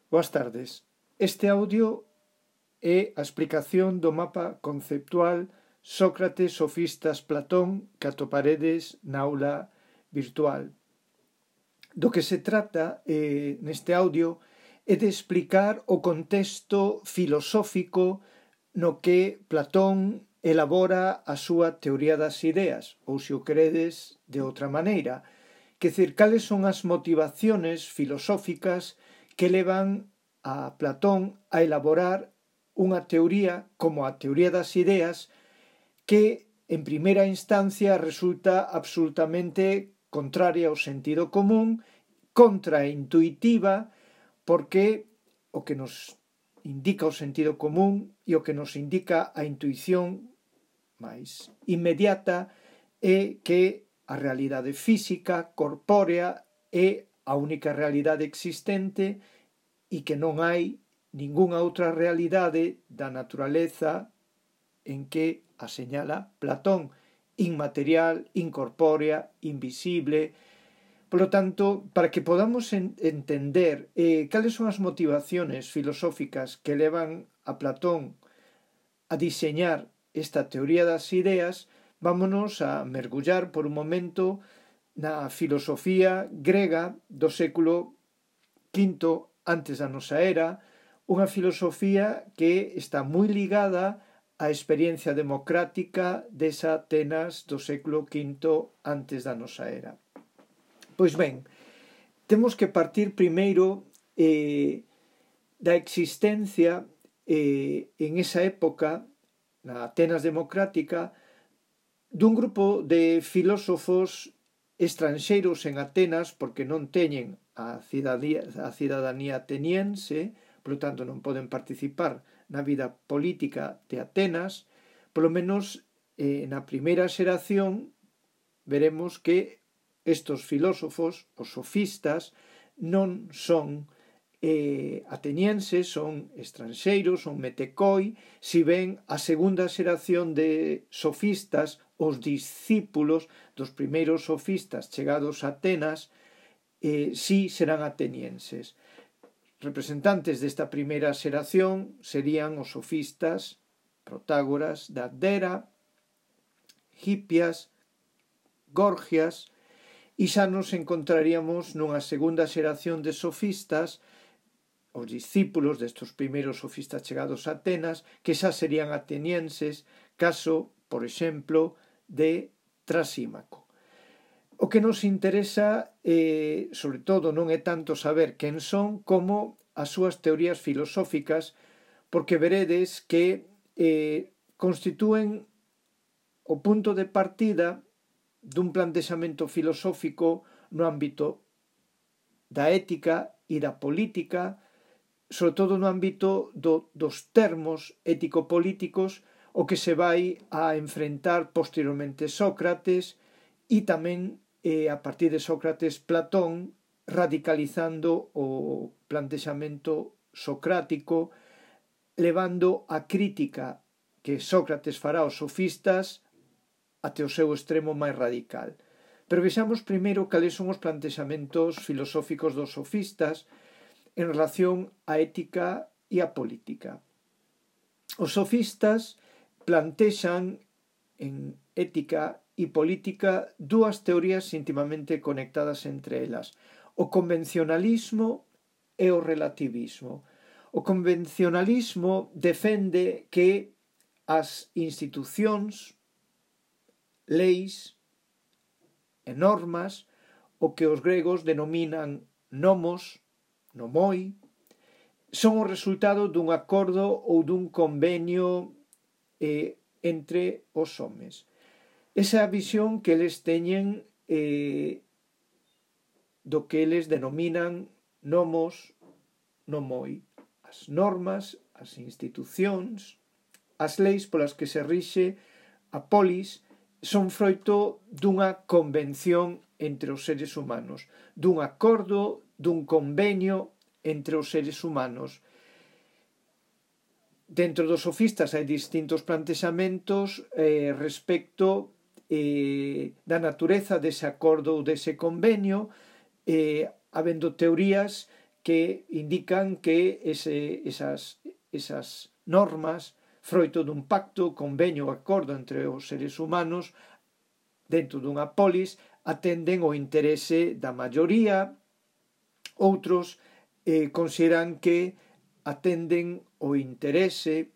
Boas tardes. Este audio é a explicación do mapa conceptual Sócrates, Sofistas, Platón que atoparedes na aula virtual. Do que se trata neste audio é de explicar o contexto filosófico no que Platón elabora a súa teoría das ideas, ou se o queredes de outra maneira, que decir, cales son as motivaciones filosóficas que levan a Platón a elaborar unha teoría como a teoría das ideas que en primeira instancia resulta absolutamente contraria ao sentido común, contraintuitiva, porque o que nos indica o sentido común e o que nos indica a intuición máis inmediata é que a realidade física, corpórea, é a única realidade existente e que non hai ningunha outra realidade da naturaleza en que a señala Platón, inmaterial, incorpórea, invisible. Por lo tanto, para que podamos entender cales son as motivaciones filosóficas que levan a Platón a diseñar esta teoría das ideas, vámonos a mergullar por un momento na filosofía grega do século V antes da nosa era, unha filosofía que está moi ligada á experiencia democrática desa Atenas do século V antes da nosa era. Pois ben, temos que partir primeiro da existencia en esa época, na Atenas democrática, dun grupo de filósofos estranxeiros en Atenas porque non teñen a cidadanía ateniense, por lo tanto non poden participar na vida política de Atenas. Polo menos na primeira xeración veremos que estos filósofos, os sofistas, non son atenienses, son estranxeiros, son metecoi, si ben a segunda xeración de sofistas, os discípulos dos primeiros sofistas chegados a Atenas, si serán atenienses. Representantes desta primeira xeración serían os sofistas Protágoras, Dagdera, Hipias, Gorgias, e xa nos encontraríamos nunha segunda xeración de sofistas, os discípulos destes primeiros sofistas chegados a Atenas, que xa serían atenienses, caso, por exemplo, de Trasímaco. O que nos interesa, sobre todo, non é tanto saber quen son como as súas teorías filosóficas, porque veredes que constitúen o punto de partida dun plantexamento filosófico no ámbito da ética e da política, sobre todo no ámbito dos termos ético-políticos, o que se vai a enfrentar posteriormente Sócrates e tamén a partir de Sócrates Platón, radicalizando o plantexamento socrático, levando a crítica que Sócrates fará aos sofistas até o seu extremo máis radical. Pero vexamos primeiro cales son os plantexamentos filosóficos dos sofistas en relación á ética e á política. Os sofistas plantexan en ética e política dúas teorías íntimamente conectadas entre elas: o convencionalismo e o relativismo. O convencionalismo defende que as institucións, leis e normas, o que os gregos denominan nomos, nomoi, son o resultado dun acordo ou dun convenio entre os homes. Esa é a visión que eles teñen do que eles denominan nomos, nomoi. As normas, as institucións, as leis polas que se rixe a polis son froito dunha convención entre os seres humanos, dun acordo, dun convenio entre os seres humanos. Dentro dos sofistas hai distintos plantexamentos respecto da natureza dese acordo ou dese convenio, habendo teorías que indican que esas normas, froito dun pacto, convenio ou acordo entre os seres humanos dentro dunha polis, atenden o interese da maioría. Outros consideran que atenden o interese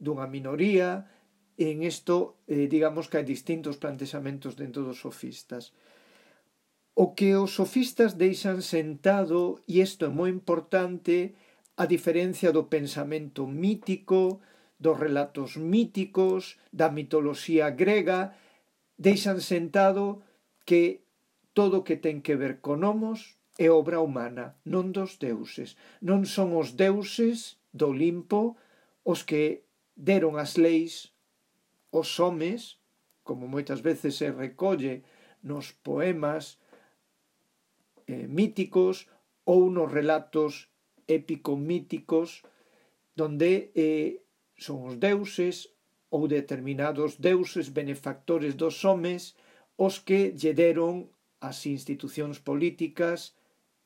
dunha minoría. En isto, digamos que hai distintos plantexamentos dentro dos sofistas. O que os sofistas deixan sentado, e isto é moi importante, a diferencia do pensamento mítico, dos relatos míticos, da mitoloxía grega, deixan sentado que todo o que ten que ver con homos é obra humana, non dos deuses. Non son os deuses do Olimpo os que deron as leis os homes, como moitas veces se recolle nos poemas míticos ou nos relatos épico-míticos, donde son os deuses ou determinados deuses benefactores dos homes os que lle deron as institucións políticas,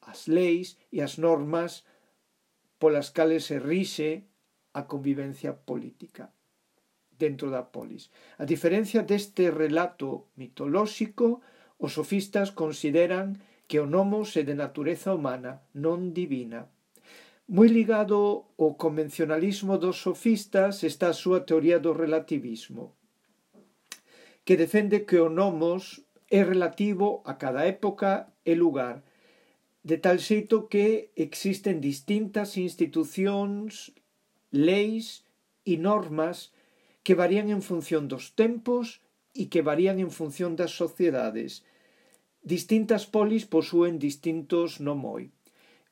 as leis e as normas polas cales se rixe a convivencia política dentro da polis. A diferencia deste relato mitolóxico, os sofistas consideran que o nomos é de natureza humana, non divina. Moi ligado ao convencionalismo dos sofistas está a súa teoría do relativismo, que defende que o nomos é relativo a cada época e lugar, de tal xeito que existen distintas institucións, leis e normas que varían en función dos tempos e que varían en función das sociedades. Distintas polis posúen distintos nomoi.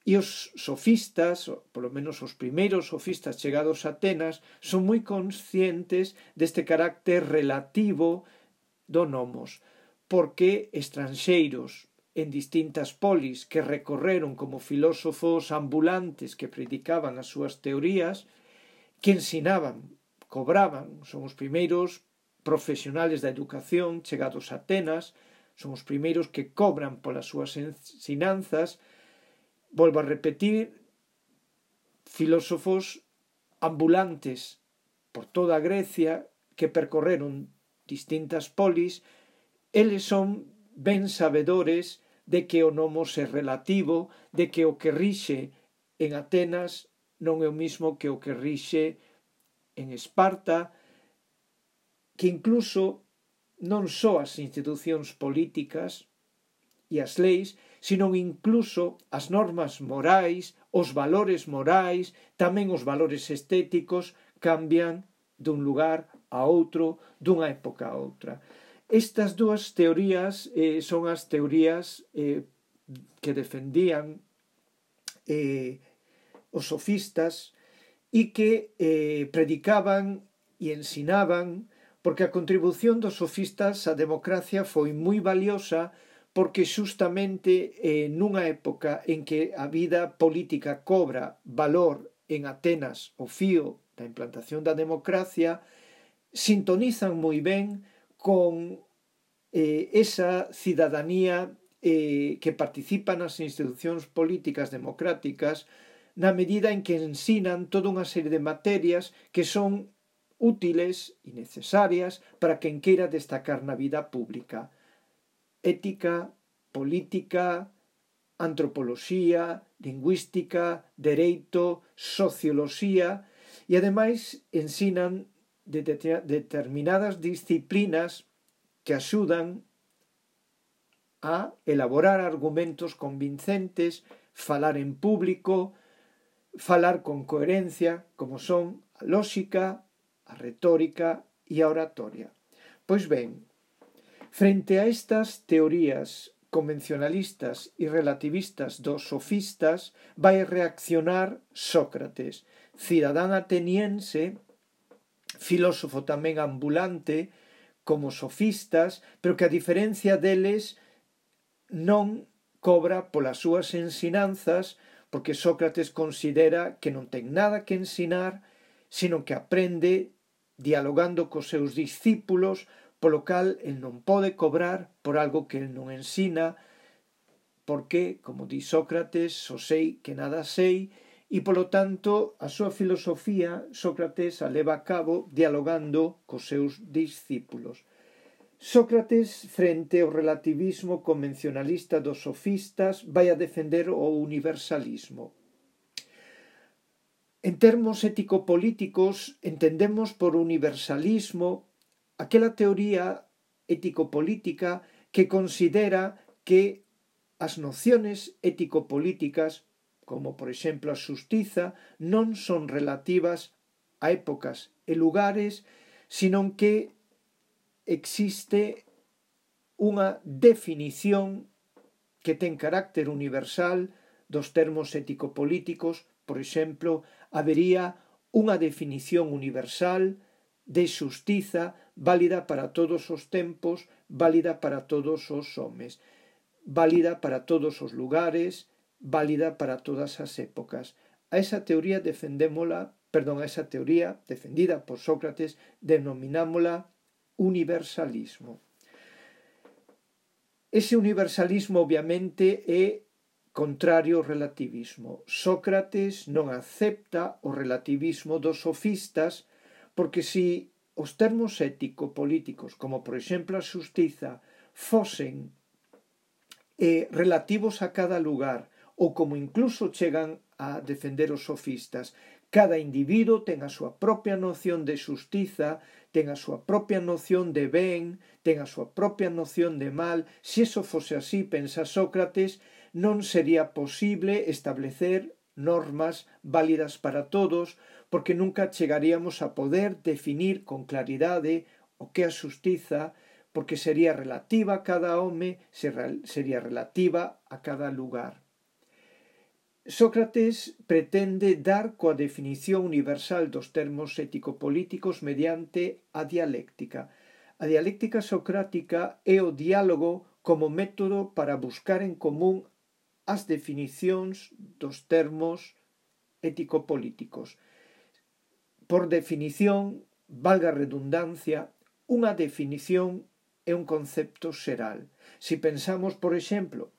E os sofistas, polo menos os primeiros sofistas chegados a Atenas, son moi conscientes deste carácter relativo do nomos, porque estranxeiros en distintas polis que recorreron como filósofos ambulantes que predicaban as súas teorías, que ensinaban, cobraban, son os primeiros profesionales da educación chegados a Atenas, son os primeiros que cobran polas súas ensinanzas. Volvo a repetir, filósofos ambulantes por toda Grecia que percorreron distintas polis, eles son ben sabedores de que o nomos é relativo, de que o que rixe en Atenas non é o mismo que o que rixe en Esparta, que incluso non só as institucións políticas e as leis, sino incluso as normas morais, os valores morais, tamén os valores estéticos cambian dun lugar a outro, dunha época a outra. Estas dúas teorías son as teorías que defendían os sofistas e que predicaban e ensinaban, porque a contribución dos sofistas á democracia foi moi valiosa, porque xustamente nunha época en que a vida política cobra valor en Atenas ao fío da implantación da democracia, sintonizan moi ben con esa cidadanía que participa nas institucións políticas democráticas, na medida en que ensinan toda unha serie de materias que son útiles e necesarias para quen queira destacar na vida pública. Ética, política, antropoloxía, lingüística, dereito, socioloxía, e ademais ensinan determinadas disciplinas que axudan a elaborar argumentos convincentes, falar en público, falar con coherencia, como son a lóxica, a retórica e a oratoria. Pois ben, frente a estas teorías convencionalistas e relativistas dos sofistas, vai reaccionar Sócrates, cidadán ateniense, filósofo tamén ambulante, como sofistas, pero que a diferencia deles non cobra polas súas ensinanzas, porque Sócrates considera que non ten nada que ensinar, sino que aprende dialogando cos seus discípulos, polo cal el non pode cobrar por algo que el non ensina, porque, como di Sócrates, só sei que nada sei, e, polo tanto, a súa filosofía Sócrates a leva a cabo dialogando cos seus discípulos. Sócrates, frente ao relativismo convencionalista dos sofistas, vai a defender o universalismo. En termos ético-políticos, entendemos por universalismo aquela teoría ético-política que considera que as nociones ético-políticas, como por exemplo a xustiza, non son relativas a épocas e lugares, senón que existe unha definición que ten carácter universal dos termos ético-políticos. Por exemplo, habería unha definición universal de xustiza válida para todos os tempos, válida para todos os homes, válida para todos os lugares, válida para todas as épocas. A esa teoría defendida por Sócrates, denominámola universalismo. Ese universalismo obviamente é contrario ao relativismo. Sócrates non acepta o relativismo dos sofistas porque se os termos ético-políticos, como por exemplo a xustiza, fosen relativos a cada lugar, ou como incluso chegan a defender os sofistas, cada individuo ten a súa propia noción de xustiza, ten a súa propia noción de ben, ten a súa propia noción de mal. Se iso fose así, pensa Sócrates, non sería posible establecer normas válidas para todos, porque nunca chegaríamos a poder definir con claridade o que é a xustiza, porque sería relativa a cada home, sería relativa a cada lugar. Sócrates pretende dar coa definición universal dos termos ético-políticos mediante a dialéctica. A dialéctica socrática é o diálogo como método para buscar en común as definicións dos termos ético-políticos. Por definición, valga a redundancia, unha definición é un concepto xeral. Se pensamos, por exemplo,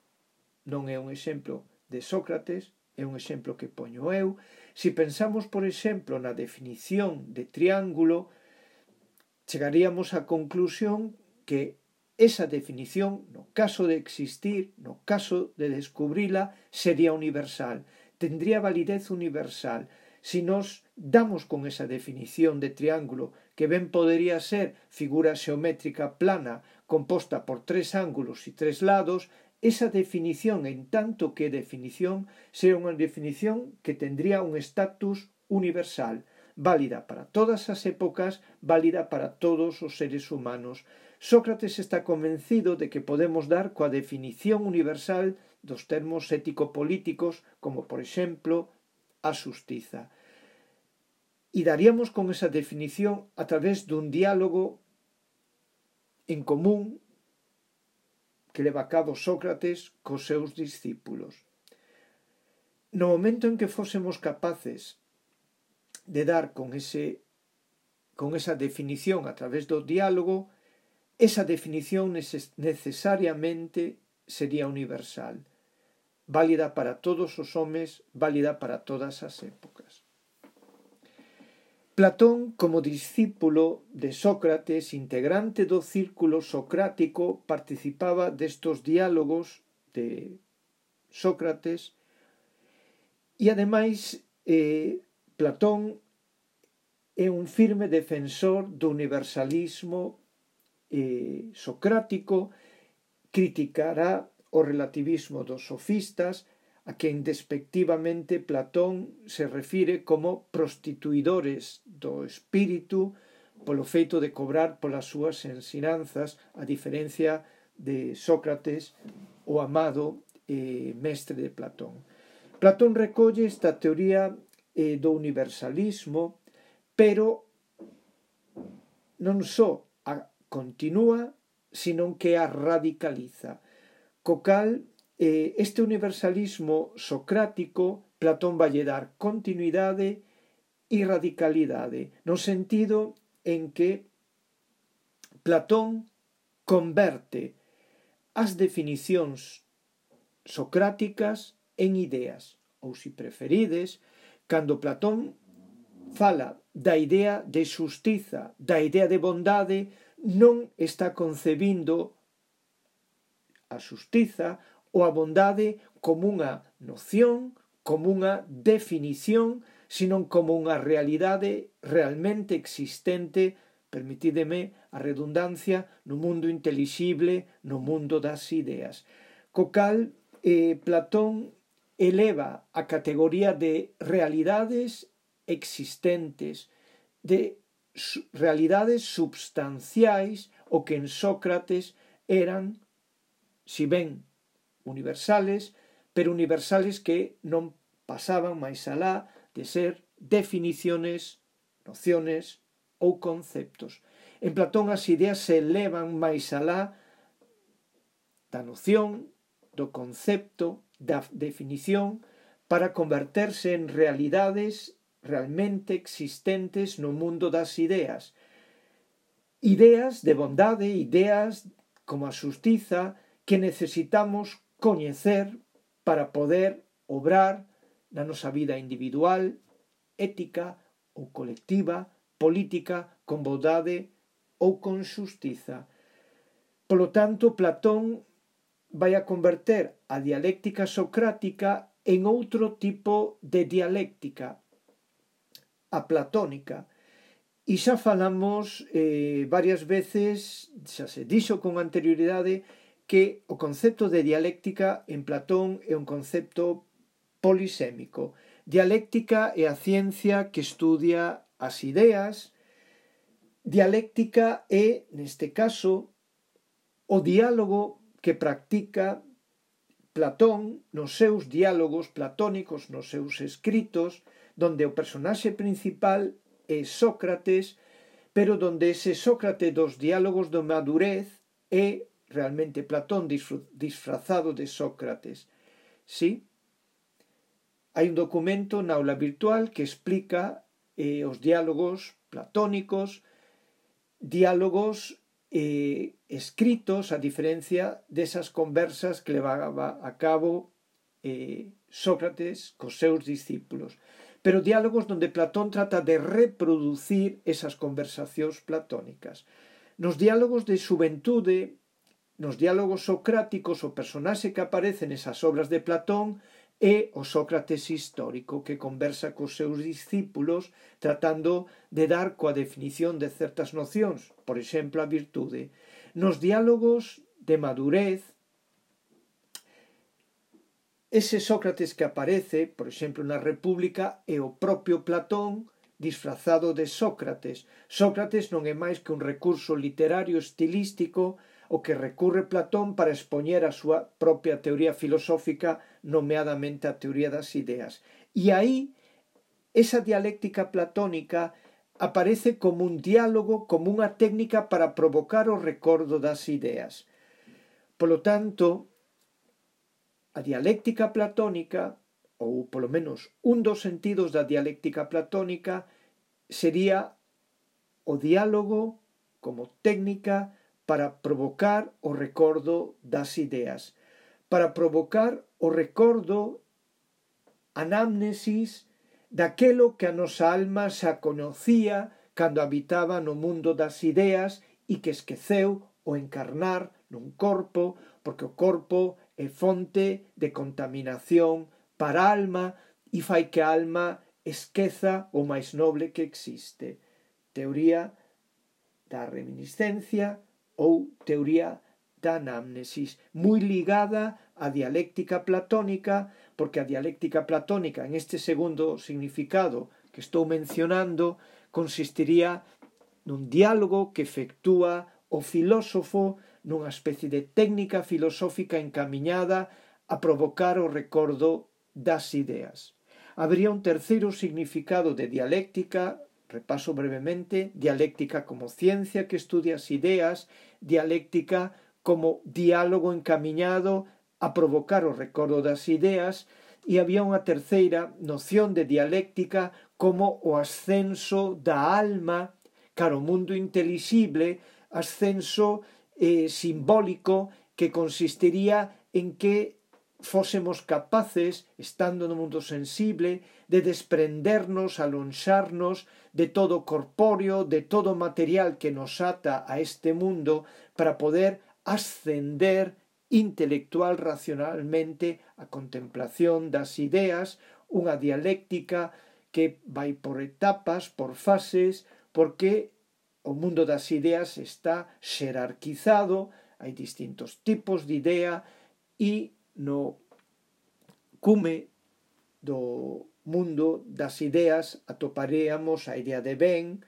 non é un exemplo de Sócrates, é un exemplo que poño eu, se pensamos, por exemplo, na definición de triángulo, chegaríamos á conclusión que esa definición, no caso de existir, no caso de descubrila, sería universal, tendría validez universal. Se nos damos con esa definición de triángulo, que ben podería ser figura xeométrica plana composta por tres ángulos e tres lados, esa definición, en tanto que definición, sería unha definición que tendría un estatus universal, válida para todas as épocas, válida para todos os seres humanos. Sócrates está convencido de que podemos dar coa definición universal dos termos ético-políticos, como por exemplo a xustiza. E daríamos con esa definición a través dun diálogo en común que leva a cabo Sócrates cos seus discípulos. No momento en que fósemos capaces de dar con esa definición a través do diálogo, esa definición necesariamente sería universal, válida para todos os homes, válida para todas as épocas. Platón, como discípulo de Sócrates, integrante do círculo socrático, participaba destos diálogos de Sócrates e, ademais, Platón é un firme defensor do universalismo socrático, criticará o relativismo dos sofistas, a quen despectivamente Platón se refire como prostituidores do espírito polo feito de cobrar polas súas ensinanzas, a diferencia de Sócrates, o amado mestre de Platón. Platón recolle esta teoría do universalismo, pero non só a continúa, senón que a radicaliza. Co cal, este universalismo socrático, Platón vai dar continuidade e radicalidade, no sentido en que Platón converte as definicións socráticas en ideas, ou se preferides, cando Platón fala da idea de xustiza, da idea de bondade, non está concebindo a xustiza ou a bondade como unha noción, como unha definición, sino como unha realidade realmente existente, permitídeme a redundancia, no mundo intelixible, no mundo das ideas. Co cal, Platón eleva a categoría de realidades existentes, de realidades substanciais, o que en Sócrates eran, si ben universales, pero universales que non pasaban máis alá de ser definiciones, nociones ou conceptos. En Platón as ideas se elevan máis alá da noción, do concepto, da definición, para converterse en realidades realmente existentes no mundo das ideas. Ideas de bondade, ideas como a xustiza, que necesitamos coñecer para poder obrar na nosa vida individual, ética ou colectiva, política, con bondade ou con xustiza. Polo tanto, Platón vai a converter a dialéctica socrática en outro tipo de dialéctica, a platónica. E xa falamos varias veces, xa se dixo con anterioridade, que o concepto de dialéctica en Platón é un concepto polisémico. Dialéctica é a ciencia que estudia as ideas. Dialéctica é, neste caso, o diálogo que practica Platón nos seus diálogos platónicos, nos seus escritos, donde o personaxe principal é Sócrates, pero donde ese Sócrates dos diálogos de madurez é realmente Platón disfrazado de Sócrates. Sí? Hai un documento na aula virtual que explica os diálogos platónicos, diálogos escritos, a diferencia desas conversas que levaba a cabo Sócrates cos seus discípulos. Pero diálogos donde Platón trata de reproducir esas conversacións platónicas. Nos diálogos de xuventude, nos diálogos socráticos, o personaxe que aparece nesas obras de Platón é o Sócrates histórico, que conversa cos seus discípulos tratando de dar coa definición de certas nocións, por exemplo, a virtude. Nos diálogos de madurez, ese Sócrates que aparece, por exemplo, na República, é o propio Platón disfrazado de Sócrates. Sócrates non é máis que un recurso literario estilístico o que recurre Platón para expoñer a súa propia teoría filosófica, nomeadamente a teoría das ideas. E aí, esa dialéctica platónica aparece como un diálogo, como unha técnica para provocar o recordo das ideas. Polo tanto, a dialéctica platónica, ou polo menos un dos sentidos da dialéctica platónica, sería o diálogo como técnica para provocar o recordo das ideas, para provocar o recordo, anamnesis, daquelo que a nosa alma xa conocía cando habitaba no mundo das ideas e que esqueceu o encarnar nun corpo, porque o corpo é fonte de contaminación para a alma e fai que a alma esqueza o máis noble que existe. Teoría da reminiscencia ou teoría da anamnesis, moi ligada á dialéctica platónica, porque a dialéctica platónica, en este segundo significado que estou mencionando, consistiría nun diálogo que efectúa o filósofo nunha especie de técnica filosófica encamiñada a provocar o recordo das ideas. Habría un terceiro significado de dialéctica. Repaso brevemente: dialéctica como ciencia que estudia as ideas, dialéctica como diálogo encamiñado a provocar o recordo das ideas, e había unha terceira noción de dialéctica como o ascenso da alma cara ao mundo intelixible, ascenso simbólico que consistiría en que fósemos capaces, estando no mundo sensible, de desprendernos, alonxarnos de todo corpóreo, de todo material que nos ata a este mundo, para poder ascender intelectual racionalmente a contemplación das ideas, unha dialéctica que vai por etapas, por fases, porque o mundo das ideas está xerarquizado, hai distintos tipos de idea e no cume do mundo das ideas atoparíamos a idea de ben,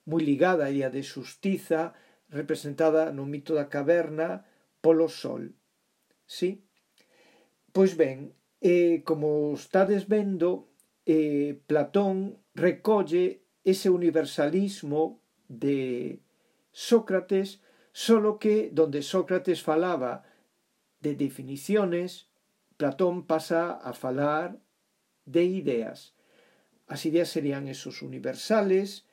moi ligada á idea de xustiza, representada no mito da caverna polo sol. Sí? Pois ben, como estades vendo, Platón recolle ese universalismo de Sócrates, solo que donde Sócrates falaba de definiciones, Platón pasa a falar de ideas. As ideas serían esos universales,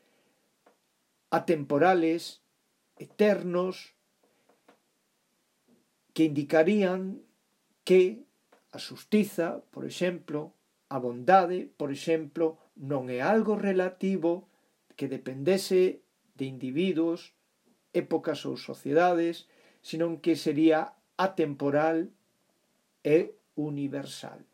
atemporales, eternos, que indicarían que a xustiza, por exemplo, a bondade, por exemplo, non é algo relativo que dependese de individuos, épocas ou sociedades, senón que sería atemporal e universal.